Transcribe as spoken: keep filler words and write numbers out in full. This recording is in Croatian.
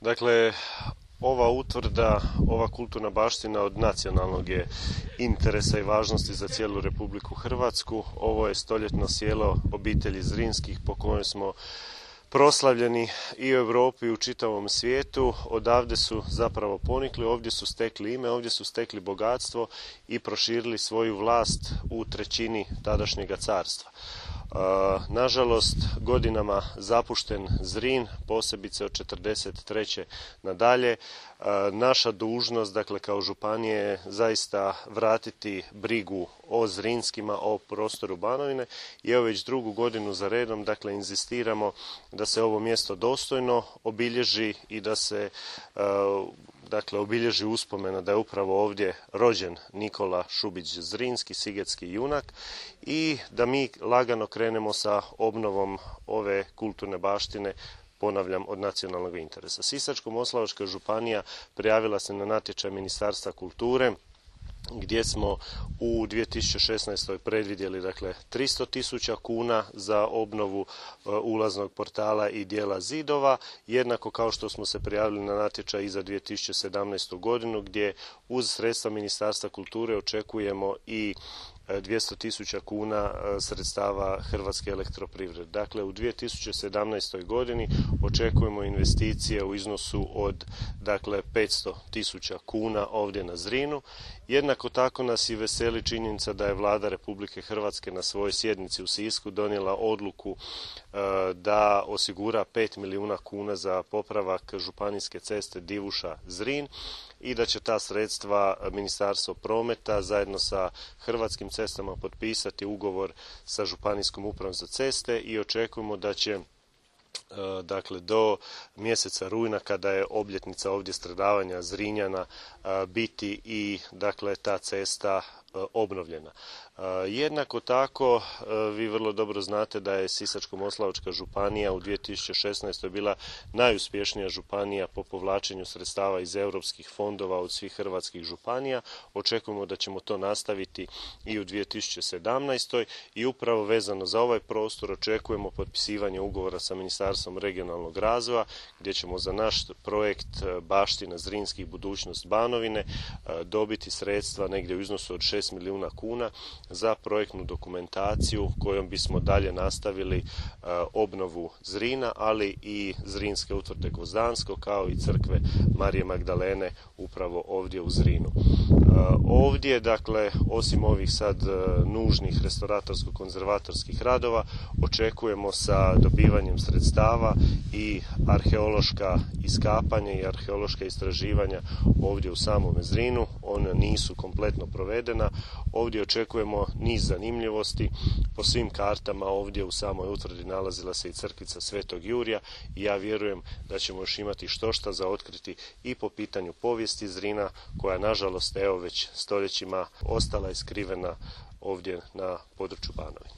Dakle, ova utvrda, ova kulturna baština od nacionalnog je interesa i važnosti za cijelu Republiku Hrvatsku. Ovo je stoljetno sjelo obitelji Zrinskih po kojem smo proslavljeni i u Europi i u čitavom svijetu. Odavde su zapravo ponikli, ovdje su stekli ime, ovdje su stekli bogatstvo i proširili svoju vlast u trećini tadašnjega carstva. Nažalost, godinama zapušten Zrin, posebice od četrdeset treće nadalje, naša dužnost, dakle kao županije, je zaista vratiti brigu o Zrinskima, o prostoru Banovine i evo već drugu godinu za redom, dakle, inzistiramo da se ovo mjesto dostojno obilježi i da se dakle, obilježi uspomena da je upravo ovdje rođen Nikola Šubić Zrinski, sigetski junak, i da mi lagano krenemo sa obnovom ove kulturne baštine, ponavljam, od nacionalnog interesa. Sisačko-moslavačka županija prijavila se na natječaj Ministarstva kulture, gdje smo u dvije tisuće šesnaestoj predvidjeli dakle tristo tisuća kuna za obnovu uh, ulaznog portala i dijela zidova, jednako kao što smo se prijavili na natječaj i za dvije tisuće sedamnaestu godinu, gdje uz sredstva Ministarstva kulture očekujemo i dvjesto tisuća kuna sredstava Hrvatske elektroprivrede. Dakle, u dvije tisuće sedamnaestoj godini očekujemo investicije u iznosu od dakle, petsto tisuća kuna ovdje na Zrinu. Jednako tako nas i veseli činjenica da je Vlada Republike Hrvatske na svojoj sjednici u Sisku donijela odluku e, da osigura pet milijuna kuna za popravak županijske ceste Divuša-Zrin i da će ta sredstva Ministarstvo prometa zajedno sa Hrvatskim cestama potpisati ugovor sa Županijskom upravom za ceste i očekujemo da će dakle do mjeseca rujna, kada je obljetnica ovdje stradavanja Zrinjana, biti i dakle ta cesta obnovljena. Jednako tako, vi vrlo dobro znate da je Sisačko-moslavačka županija u dvije tisuće šesnaestoj bila najuspješnija županija po povlačenju sredstava iz europskih fondova od svih hrvatskih županija. Očekujemo da ćemo to nastaviti i u dvije tisuće sedamnaestoj i upravo vezano za ovaj prostor očekujemo potpisivanje ugovora sa Ministarstvom regionalnog razvoja, gdje ćemo za naš projekt Baština Zrinskih, budućnost Banovine dobiti sredstva negdje u iznosu od šest milijuna kuna za projektnu dokumentaciju kojom bismo dalje nastavili uh, obnovu Zrina, ali i Zrinske utvrde Gvozdansko, kao i crkve Marije Magdalene upravo ovdje u Zrinu. Uh, ovdje, dakle, osim ovih sad uh, nužnih restauratorsko-konzervatorskih radova, očekujemo sa dobivanjem sredstava i arheološka iskapanja i arheološka istraživanja ovdje u samome Zrinu. Ona nisu kompletno provedena. Ovdje očekujemo niz zanimljivosti. Po svim kartama ovdje u samoj utvrdi nalazila se i crkvica Svetog Jurija i ja vjerujem da ćemo još imati štošta za otkriti i po pitanju povijesti Zrina, koja nažalost evo već stoljećima ostala je skrivena ovdje na području Banovine.